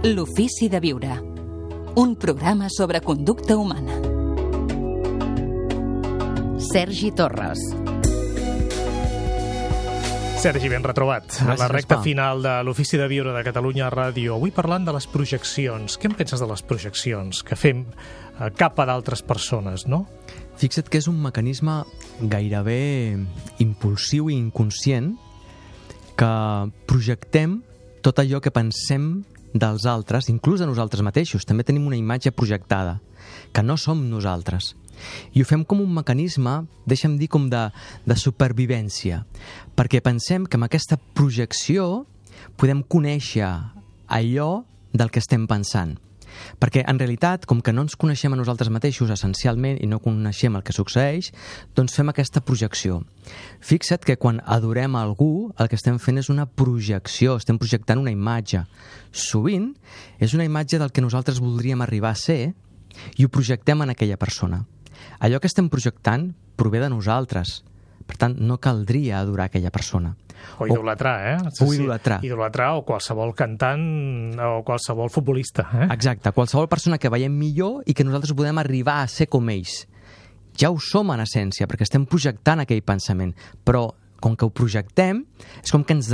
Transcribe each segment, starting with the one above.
L'ofici de viure. Un programa sobre conducta humana. Sergi Torres. Sergi, ben retrobat. A la recta final de l'Ofici de Viure de Catalunya Ràdio. Avui parlant de les projeccions. Què en penses de les projeccions que fem cap a d'altres persones, no? Fixa't que és un mecanisme gairebé impulsiu i inconscient que projectem tot allò que pensem dels altres, inclús de nosaltres mateixos. També tenim una imatge projectada, que no som nosaltres. I ho fem com un mecanisme, deixa'm dir, com de supervivència, perquè pensem que amb aquesta projecció podem conèixer allò del que estem pensant. Perquè, en realitat, com que no ens coneixem a nosaltres mateixos essencialment i no coneixem el que succeeix, doncs fem aquesta projecció. Fixa't que quan adorem a algú, el que estem fent és una projecció, estem projectant una imatge. Sovint és una imatge del que nosaltres voldríem arribar a ser i ho projectem en aquella persona. Allò que estem projectant prové de nosaltres. Per tant, no caldria adorar aquella persona. O idolatrar, O idolatrar. Idolatrar o qualsevol cantant o qualsevol futbolista, Exacte, qualsevol persona que veiem millor i que nosaltres podem arribar a ser com ells. Ja ho som en essència, perquè estem projectant aquell pensament, però com que ho projectem, és com que ens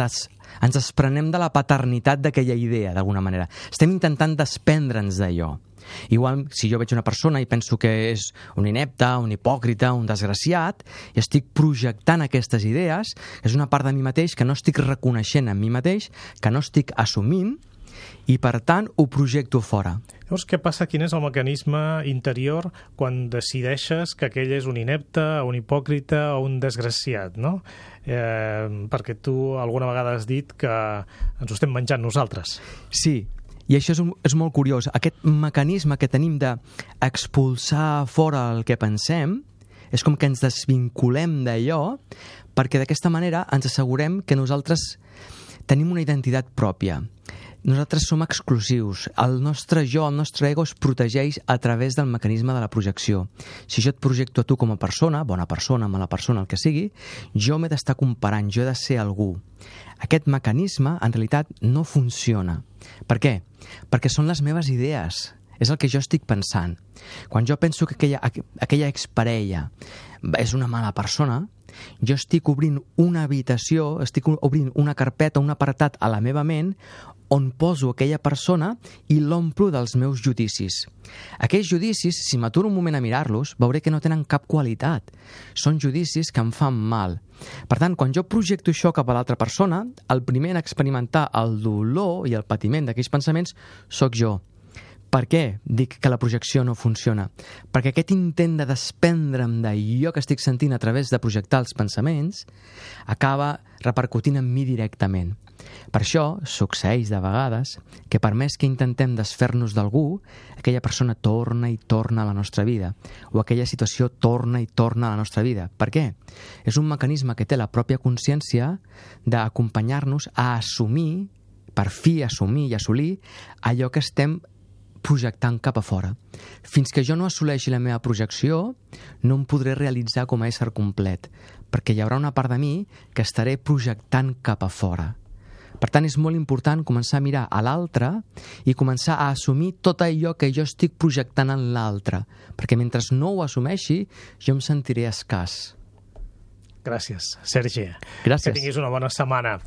desprenem de la paternitat d'aquella idea, d'alguna manera. Estem intentant desprendre'ns d'allò. Igual, si jo veig una persona i penso que és un inepte, un hipòcrita, un desgraciat, i estic projectant aquestes idees, és una part de mi mateix que no estic reconeixent en mi mateix, que no estic assumint, i per tant ho projecto fora. Llavors, què passa? Quin és el mecanisme interior quan decideixes que aquell és un inepte, un hipòcrita o un desgraciat, no? Perquè tu alguna vegada has dit que ens ho estem menjant nosaltres. Sí, i això és molt curiós. Aquest mecanisme que tenim d'expulsar fora el que pensem és com que ens desvinculem d'allò, perquè d'aquesta manera ens assegurem que nosaltres tenim una identitat pròpia. Nosaltres som exclusius. El nostre jo, el nostre ego es protegeix a través del mecanisme de la projecció. Si jo et projecto a tu com a persona, bona persona, mala persona, el que sigui, jo m'he d'estar comparant, jo he de ser algú. Aquest mecanisme, en realitat, no funciona. Per què? Perquè són les meves idees. És el que jo estic pensant. Quan jo penso que aquella exparella és una mala persona, jo estic obrint una habitació, estic obrint una carpeta, un apartat a la meva ment on poso aquella persona i l'omplo dels meus judicis. Aquells judicis, si m'aturo un moment a mirar-los, veuré que no tenen cap qualitat. Són judicis que em fan mal. Per tant, quan jo projecto això cap a l'altra persona, el primer en experimentar el dolor i el patiment d'aquells pensaments sóc jo. Per què dic que la projecció no funciona? Perquè aquest intent de desprendre'm d'allò que estic sentint a través de projectar els pensaments acaba repercutint en mi directament. Per això succeeix de vegades que per més que intentem desfer-nos d'algú, aquella persona torna i torna a la nostra vida, o aquella situació torna i torna a la nostra vida. Per què? És un mecanisme que té la pròpia consciència d'acompanyar-nos a assumir, per fi assumir i assolir, allò que estem projectant cap a fora. Fins que jo no assoleixi la meva projecció, no em podré realitzar com a ésser complet, perquè hi haurà una part de mi que estaré projectant cap a fora. Per tant, és molt important començar a mirar a l'altre i començar a assumir tot allò que jo estic projectant en l'altre, perquè mentre no ho assumeixi, jo em sentiré escàs. Gràcies, Sergi. Gràcies. Que tinguis una bona setmana.